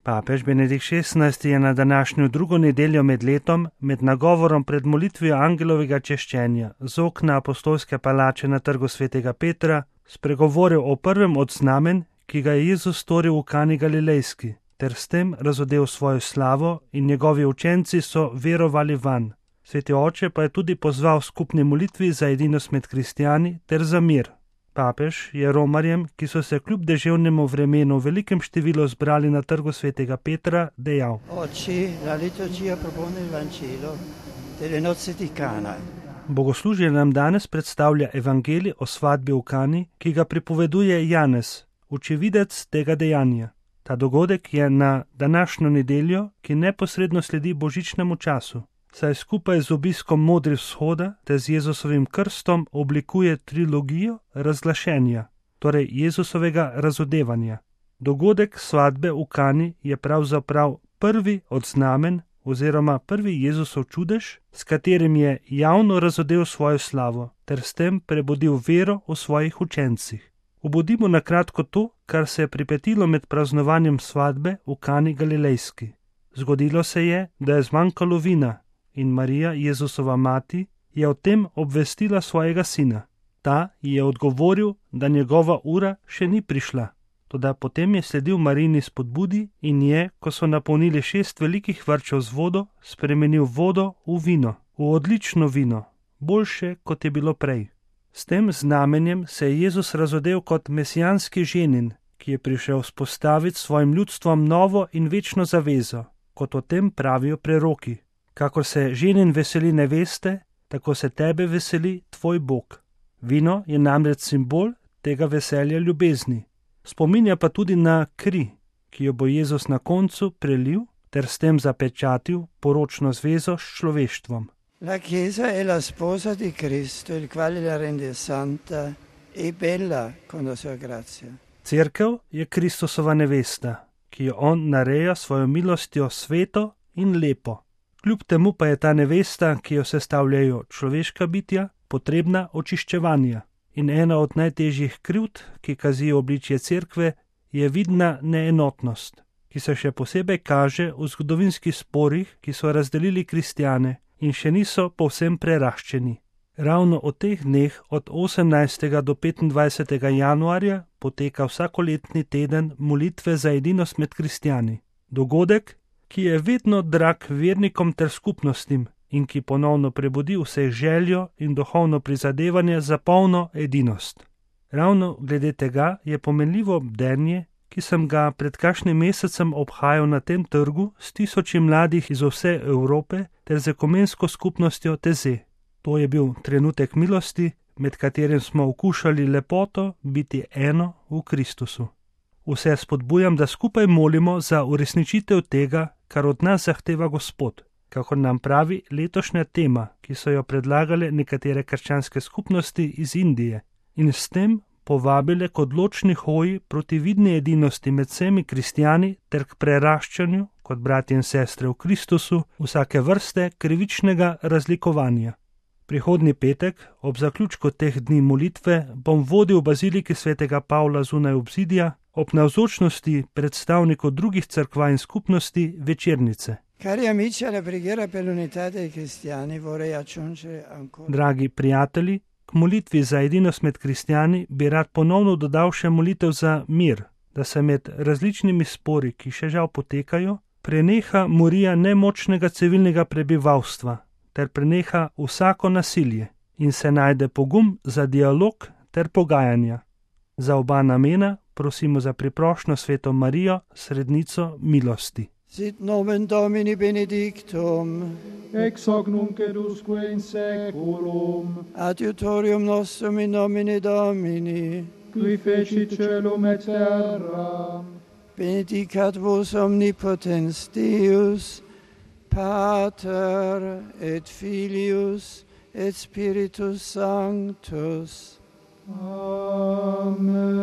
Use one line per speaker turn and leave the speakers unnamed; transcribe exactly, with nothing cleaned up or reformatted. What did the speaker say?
Papež Benedikt šestnajsti je na današnjo drugo nedeljo med letom, med nagovorom pred molitvijo angelovega češčenja z okna apostolske palače na trgu svetega Petra, spregovoril o prvem od znamen, ki ga je Jezus storil v Kani Galilejski, ter s tem razodel svojo slavo in njegovi učenci so verovali vanj. Sveti oče pa je tudi pozval skupni molitvi za edinost med kristjani ter za mir. Papež je romarjem, ki so se kljub deževnemu vremenu v velikem številu zbrali na trgu svetega Petra, dejal: Bogoslužje nam danes predstavlja evangelij o svadbi v Kani, ki ga pripoveduje Janez, očividec tega dejanja. Ta dogodek je na današnjo nedeljo, ki neposredno sledi božičnemu času, saj skupaj z obiskom Modri vzhoda ter z Jezusovim krstom oblikuje trilogijo razglašenja, torej Jezusovega razodevanja. Dogodek svadbe v Kani je pravzaprav prvi od znamen oziroma prvi Jezusov čudež, s katerim je javno razodel svojo slavo ter s tem prebudil vero v svojih učencih. Obudimo na kratko to, kar se je pripetilo med praznovanjem svadbe v Kani Galilejski. Zgodilo se je, da je zmanjkalo vina, in Marija, Jezusova mati, je o tem obvestila svojega sina. Ta ji je odgovoril, da njegova ura še ni prišla. Toda potem je sledil Marijini spodbudi in je, ko so napolnili šest velikih vrčev z vodo, spremenil vodo v vino, v odlično vino, boljše, kot je bilo prej. S tem znamenjem se je Jezus razodel kot mesijanski ženin, ki je prišel vzpostaviti svojim ljudstvom novo in večno zavezo, kot o tem pravijo preroki. Kakor se ženin veseli neveste, tako se tebe veseli tvoj Bog. Vino je namreč simbol tega veselja ljubezni. Spominja pa tudi na kri, ki jo bo Jezus na koncu prelil ter s tem zapečatil poročno zvezo s človeštvom.
La Chiesa è la sposa di Cristo, il quale la rende santa e bella con la sua grazia.
Cerkev je Kristusova nevesta, ki jo on nareja svojo milostjo sveto in lepo. Kljub temu pa je ta nevesta, ki jo sestavljajo človeška bitja, potrebna očiščevanja. In ena od najtežjih krivd, ki kazijo obličje cerkve, je vidna neenotnost, ki se še posebej kaže v zgodovinskih sporih, ki so razdelili kristjane in še niso povsem preraščeni. Ravno v teh dneh od osemnajstega do petindvajsetega januarja poteka vsakoletni teden molitve za edinost med kristjani. Dogodek, ki je vedno drag vernikom ter skupnostim in ki ponovno prebudi vse željo in duhovno prizadevanje za polno edinost. Ravno glede tega je pomenljivo bdenje, ki sem ga pred kakšnim mesecem obhajal na tem trgu s tisoči mladih iz vse Evrope ter z ekumensko skupnostjo Teze. To je bil trenutek milosti, med katerim smo okušali lepoto biti eno v Kristusu. Vse spodbujam, da skupaj molimo za uresničitev tega, kar od nas zahteva Gospod, kakor nam pravi letošnja tema, ki so jo predlagale nekatere krščanske skupnosti iz Indije in s tem povabile k odločni hoji proti vidni edinosti med vsemi kristjani ter k preraščanju, kot bratje in sestre v Kristusu, vsake vrste krivičnega razlikovanja. Prihodnji petek, ob zaključku teh dni molitve, bom vodil v baziliki svetega Pavla zunaj obzidja, ob navzočnosti predstavnikov drugih cerkva in skupnosti večernice. Dragi prijatelji, k molitvi za edinost med kristjani bi rad ponovno dodal še molitev za mir, da se med različnimi spori, ki še žal potekajo, preneha morija nemočnega civilnega prebivalstva ter preneha vsako nasilje in se najde pogum za dialog ter pogajanja. Za oba namena prosimo za priprošnjo sveto Marijo, srednico milosti.
Sit nomen Domini benedictum,
ex hoc nunc et usque in saeculum,
adiutorium nostrum in nomine Domini,
qui fecit caelum et terram,
benedicat vos omnipotens Deus, Pater et Filius et Spiritus Sanctus.
Amen.